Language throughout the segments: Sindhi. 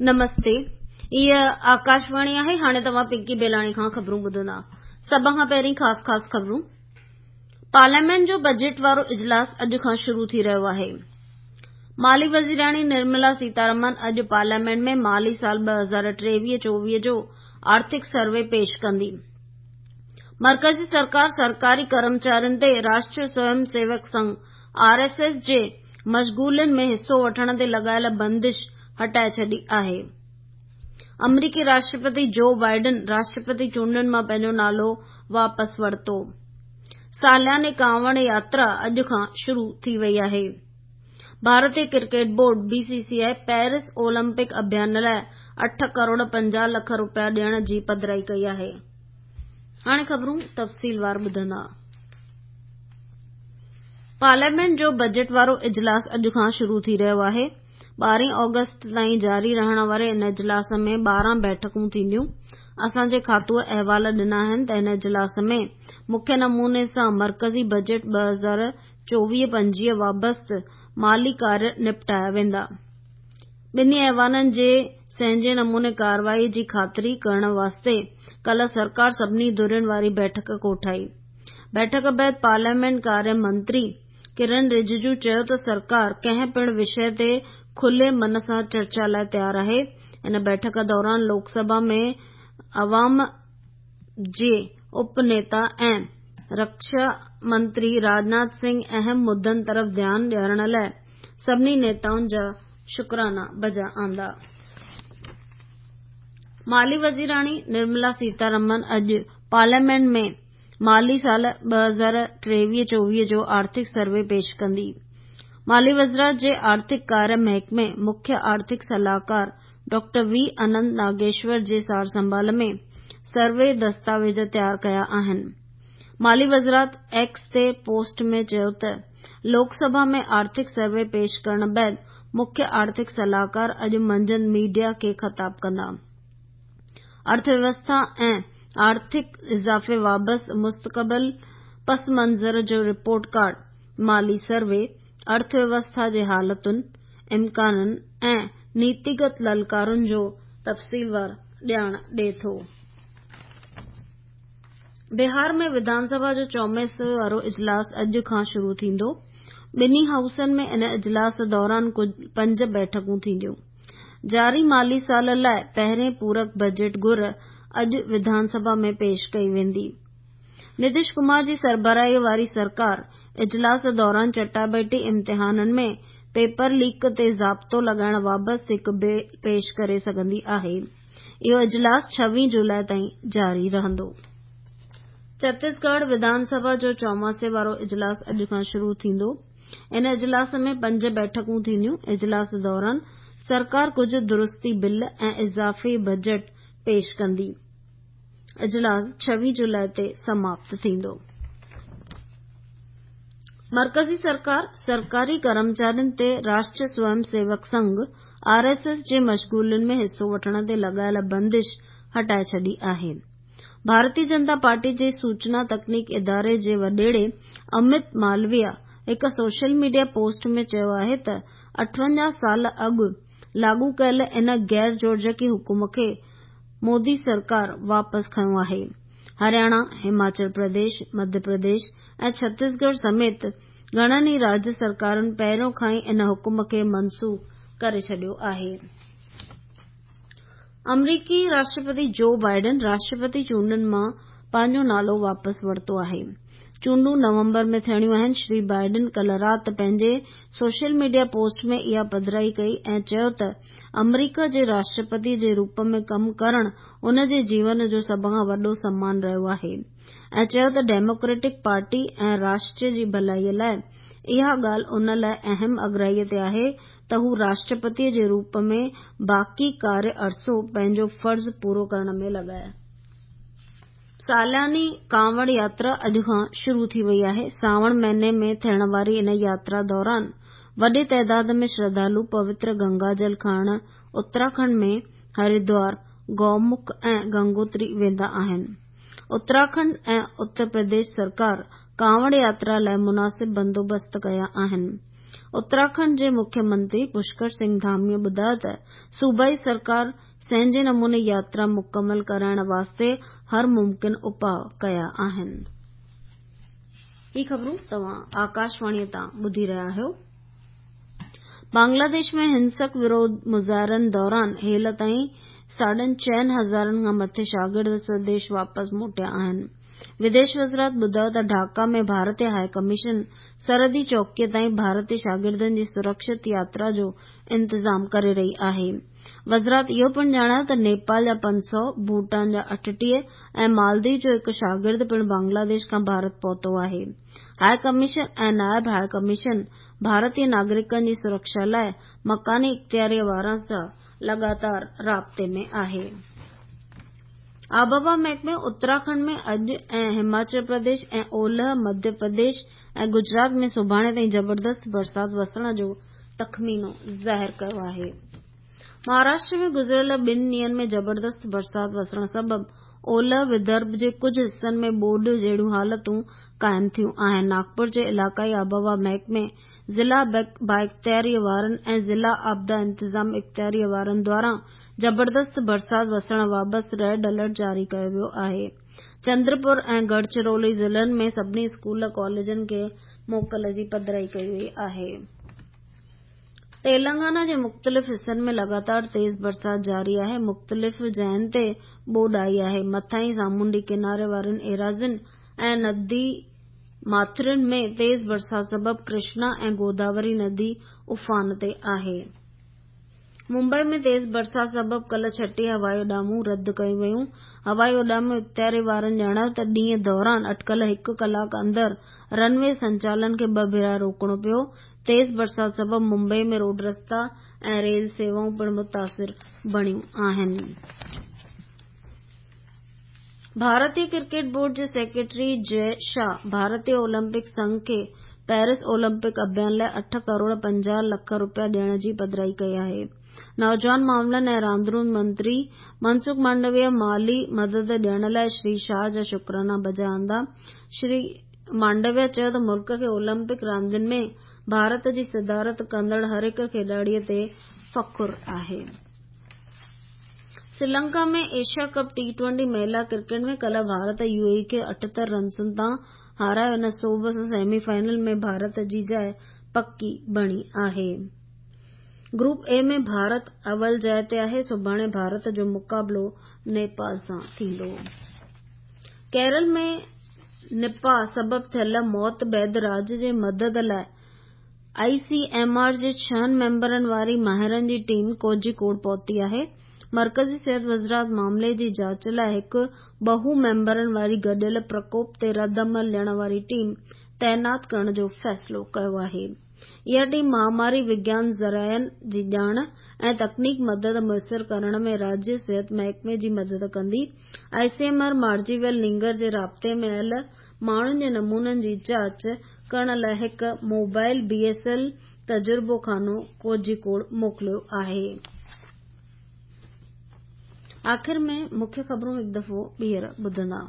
نمستي هيء آڪاشواڻي آهي هاڻي توهان پنڪي بيلاڻي کان خبرون ٻڌندا سڀ کان پهرين خاص خاص خبرون پارليامينٽ جو بجيٽ وارو اجلاس اڄ کان شروع ٿي رهيو آهي مالي وزيراڻي نرملا سيتارمن اڄ پارليامينٽ ۾ مالي سال 2023-24 جو آرٿڪ سروي پيش ڪندي مرڪزي سرڪار سرڪاري ڪرمچارين تي Rashtriya Swayam Sevak Sangh R S S جي مشغولين ۾ حصو وٺڻ تي لڳايل بندش هٽائي ڇڏي آهي. آمريڪي راشٽرپتي جو بائيڊن راشٽرپتي چونڊن مان پنهنجو نالو واپس ورتو. سالياني ڪانوڙ ياترا اڄ کان شروع ٿي وئي آهي. ڀارتي cricket board, B C C I, Paris Olympic اڀيان لاء 8 ڪروڙ 50 لک رپيا ڏيڻ جي پڌرائي ڪئي آهي. هاڻي خبرون تفصيلوار ٻڌندا. پارليامينٽ جو بجيٽ وارو اجلاس اڄ کان شروع ٿي رهيو آهي. ٻارهين آگسٽ تائين جاري رهڻ واري ان اجلاس ۾ 12 بيٺڪون ٿينديون. اسان جي کاتوء احوال ڏنا آهن ته ان اجلاس ۾ مکيه نموني سان مرڪزي بجيٽ 2024 25 وابسته مالي ڪاريه نپٽايا ويندا. ٻنهي ايوانن جي سهنجي نموني ڪارروائي جي خاطري ڪرڻ واسطي ڪالهه سرڪار سڀني ڌرين واري بيٺڪ ڪوٺائي. بيٺڪ بعد پارليامينٽ ڪاريه منتري ڪرن رججو چيو ته سرڪار ڪنهن پڻ وشيه تي کلي من سان چرچا لاء تيار آهي. ان بيٺڪ دوران لوڪ سڀا ۾ عوام جي اپ نيتا ۽ رڪشا منتري راجناٿ سنگهه اهم مدن طرف ڌيان ڏيارڻ لاء سڀني نيتائن جا شڪرانا بجا آندا. مالي وزيراڻي نرملا سيتارمن اڄ پارليامينٽ ۾ مالي سال 2023-24 جو آرٿڪ سروي پيش ڪندي. مالي وزارت جي آرٿڪ ڪاريه محڪمي مکيه آرٿڪ صلاحڪار ڊاڪٽر وي اننت ناگيشور جي سارسنڀال ۾ سروي دستاويز تيار ڪيا آهن. مالي وزارت ايڪس تي پوسٽ ۾ چيو ته لوڪ سڀا ۾ آرٿڪ سروي پيش ڪرڻ بعد مکيه آرٿڪ صلاحڪار اڄ منجهند ميڊيا کي خطاب ڪندا. ارٿويوسٿا ۽ آرٿڪ اضافي وابسته مستقبل پس منظر جو رپورٽ ڪارڊ، مالي سروي، ارٿويوسٿا جي حالتن، امڪانن ۽ نيتيگت للڪارن جو تفصيلوار ڄاڻ ڏئي ٿو. بهار ۾ وڌان سڀا جو چوماسي وارو اجلاس اڄ کان شروع ٿيندو. ٻنهي هائوسن ۾ ان اجلاس دوران ڪل پنج بيٺڪون ٿينديون. جاري مالي سال لاء پهرين پورڪ بجيٽ گهر اڄ وڌان سڀا ۾ پيش ڪئي ويندي. نتيش ڪمار جي سربراهي واري سرڪار اجلاس دوران چٽاڀيٽي امتحانن ۾ پيپر ليڪ تي ضابطو لڳائڻ بابت هڪ بل پيش ڪري سگهندي آهي. اهو اجلاس ڇويهه جولاء تائين جاري رهندو. ڇتيسڳڙهه وڌان سڀا جو چوماسي وارو اجلاس اڄ کان شروع ٿيندو. ان اجلاس ۾ پنج بيٺڪون ٿينديون. اجلاس دوران سرڪار ڪجهه درستي بل ۽ اضافي بجيٽ پيش ڪندي. اجلاس ڇويهه جولاء تي سماپت ٿيندو. مرڪزي سرڪار سرڪاري ڪرمچارين تي Rashtriya Swayam Sevak Sangh, R S S, جي مشغولين ۾ حصو وٺڻ تي لڳايل بندش هٽائي ڇڏي آهي. ڀارتي جنتا پارٽي جي سوچنا تڪنيڪ اداري جي وڏيري امت مالويا هڪ سوشل ميڊيا پوسٽ ۾ چيو آهي ته 58 سال اڳ لاڳو ڪيل ان غير جوڙجڪي حڪم کي مودي سرڪار واپس کنيو آهي. هرياڻا، هماچل پرديش، مڌيه پرديش ۽ ڇتيسڳڙهه سميت گهڻن ئي راجيه سرڪارن پهريون کان ئي ان حڪم کي منسوخ ڪري ڇڏيو آهي. آمريڪي راشٽرپتي جو بائيڊن راشٽرپتي چونڊن مان پنهنجو نالو واپس ورتو آهي. چونڊون نومبر ۾ ٿيڻيون آهن. شري بائيڊن ڪالهه رات پنهنجي سوشل ميڊيا پوسٽ ۾ اها پڌرائي ڪئي ۽ چيو ته آمريڪا جي راشٽرپتي جي روپ ۾ ڪم ڪرڻ ان جي جيون جو سڀ کان وڏو سمان رهيو آهي ۽ چيو ته ڊيموڪريٽڪ پارٽي ۽ راشٽر جي ڀلائي لاء اها ڳالهه ان لاء اهم اڳرائي تي آهي ته هو راشٽرپتيء جي روپ ۾ باقي ڪاريه عرصو پنهنجو فرض پورو ڪرڻ ۾ لڳائي. سالياني ڪانوڙ ياترا اڄ کان شروع ٿي وئي آهي. سانوڻ مهيني ۾ ٿيڻ واري ان ياترا دوران وڏي تعداد ۾ شرڌالو پوتر گنگا جل کڻڻ اتراکنڊ ۾ هردوار، گومک ۽ گنگوتري ويندا آهن. اتراکنڊ ۽ اتر پرديش سرڪار ڪانوڙ ياترا لاء مناسب بندوبست ڪيا آهن. اتراکنڊ جي مکيه منتري پشڪر سنگهه ڌاميء ٻڌايو ته صوبائي سرڪار سهنجي نموني ياترا مڪمل ڪرائڻ واسطي هر ممڪن اپاء ڪيا آهن. هي خبرون توهان آڪاشواڻيء تان ٻڌي رهيا آهيو. بنگلاديش ۾ هنسڪ وروڌ مظاهرن دوران هيل تائين ساڍن چئن هزارن کان مٿي شاگرد سوديش واپس موٽيا آهن. وديش وزارت ٻڌايو ته ڍاڪا ۾ ڀارتي هاء ڪميشن سرحدي چوڪيء تائين ڀارتي شاگردن جي سرڪشت ياترا جو انتظام ڪري رهي آهي. وزارت اهو پڻ ڄاڻايو ته نيپال جا 500، ڀوٽان جا 38 ۽ مالديپ جو هڪ شاگرد پڻ بنگلاديش کان ڀارت پهتو آهي. هاء ڪميشن ۽ نائب هاء ڪميشن ڀارتي ناگرڪن جي سرڪشا لاء مڪاني اختياريء وارن سان لڳاتار رابطي ۾ آهي. آبهوا محڪمي اتراکنڊ ۾ اڄ ۽ هماچل پرديش ۽ اولهه مڌيه پرديش ۽ گجرات ۾ سڀاڻي تائين زبردست برسات وسڻ جو تخمينو ظاهر ڪيو آهي. مهاراشٽر ۾ گذريل ٻن ڏينهن ۾ زبردست برسات وسڻ سبب اولهه ودرڀ جي ڪجهه حصن ۾ ٻوڏ جهڙيون حالتون قائم ٿيون آهن. ناگپور جي علائقائي آبهوا محڪمي ضلع بااختياريء وارن ۽ ضلع آپدا انتظام اختياريء وارن دواران زبردست برسات وسڻ بابت ريڊ الرٽ جاري ڪيو ويو آهي. چندرپور ۽ گڙچرولي ضلعن ۾ سڀني اسڪول ڪاليجن کي موڪل جي پڌرائي ڪئي وئي آهي. تيلنگانا جي مختلف حصن ۾ لڳاتار تيز برسات جاري آهي، مختلف جاين تي ٻوڏ آئي آهي، مٿانهين سامونڊي ڪناري وارين ايراضين ۽ ندي ماٿرين ۾ تيز برسات سبب ڪرشنا ۽ گوداوري ندي افان تي آهي. ممبئي ۾ تيز برسات سبب ڪلهه 36 هوائي اڏامون رد ڪيون ويون. هوائي اڏامون اختياري وارن ڄاڻايو ته ڏينهن دوران اٽڪل هڪ ڪلاڪ اندر رن وي سنچالن کي ٻه ڀيرا روڪڻو پيو. تيز برسات سبب ممبئي ۾ روڊ رستا ۽ ريل سيوائون پڻ متاثر بڻيون آهن. ڀارتي ڪرڪيٽ بورڊ جي سيڪريٽري جئه شاهه ڀارتي اولمپڪ سنگهه کي پيرس اولمپڪ اڀيان لاء 8 ڪروڙ 50 لک رپيا ڏيڻ جي پڌرائي ڪئي آهي. نوجوان معاملن ۽ راندرون منتري منسخ مانڊويه مالي مدد ڏيڻ لاء شري شاهه جا شڪرانا بجا آندا. شري مانڊويه چيو ته ملڪ کي اولمپڪ راندين ۾ ڀارت جي صدارت ڪندڙ هر هڪ کيڏاڙي تي فخر آهي. سريلنڪا ۾ ايشيا ڪپ ٽي ٽوئنٽي مهلا ڪرڪيٽ ۾ ڪلهه ڀارت يو اي اي کي 78 رنسن تان هارايو ان سوڀ سان سيمي فائنل ۾ ڀارت جي جاء پڪي بڻي آهي. گروپ اي ۾ ڀارت اول جاء تي آهي، سڀاڻي ڀارت جو مقابلو نيپال سان ٿيندو. ڪيرل ۾ نپا سبب ٿيل موت بعد راڄ جي مدد لاء آء سي ايم آر جي ڇهن ميمبرن واري ماهرن جي ٽيم ڪوجهي ڪوڙ پهتي آهي. مرڪزي صحت وزارت معاملي جي جاچ لاء هڪ ٻهو ميمبرن واري گڏيل پرڪوپ تي رد عمل ڏيڻ واري ٽيم تعينات ڪرڻ جو فيصلو ڪيو آهي. اها ٽيم مهاماري وگيان ذريعن جي ڄاڻ ۽ تڪنيڪ مدد ميسر ڪرڻ ۾ راجيه صحت محڪمي جي مدد ڪندي. آء سي ايم آر مارجي ويل نينگر جي رابطي ۾ آيل ماڻهن جي نمونن جي جاچ ڪرڻ لاء هڪ موبائل بي ايس ايل تجربو خانو ڪوجهي موڪليو آهي. آخر ۾ مکيه خبرون هڪ دفعو ٻيهر ٻڌندا.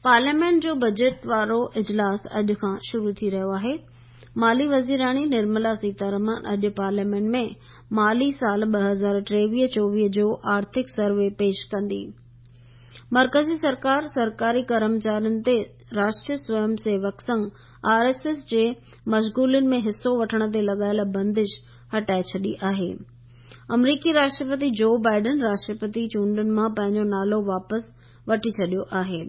پارليامينٽ جو بجيٽ وارو اجلاس اڄ کان شروع ٿي رهيو آهي. مالي وزيراڻي نرملا سيتارمن اڄ پارليامينٽ ۾ مالي سال 2023-24 جو آرٿڪ سروي پيش ڪندي. مرڪزي سرڪار سرڪاري ڪرمچارين تي Rashtriya Swayam Sevak Sangh, R S S, جي مشغولين ۾ حصو وٺڻ تي لڳايل بندش هٽائي ڇڏي آهي. آمريڪي راشٽرپتي جو بائيڊن راشٽرپتي چونڊن مان پنهنجو نالو واپس وٺي ڇڏيو آهي.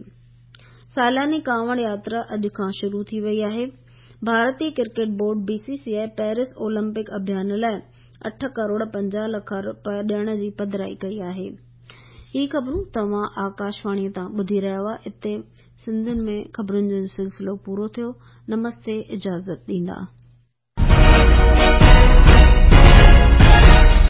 سالياني ڪانوڙ ياترا اڄ کان شروع ٿي وئي آهي. ڀارتي cricket board, B C C I, Paris Olympic اڀيان لاء 8 ڪروڙ 50 لک رپيا ڏيڻ جي پڌرائي ڪئي آهي. هي خبرون توهان آڪاشواڻيء تان ٻڌي رهيا هئا. اتي سنڌين ۾ خبرن جو سلسلو پورو ٿيو. نمستي اجازت ڏيندا.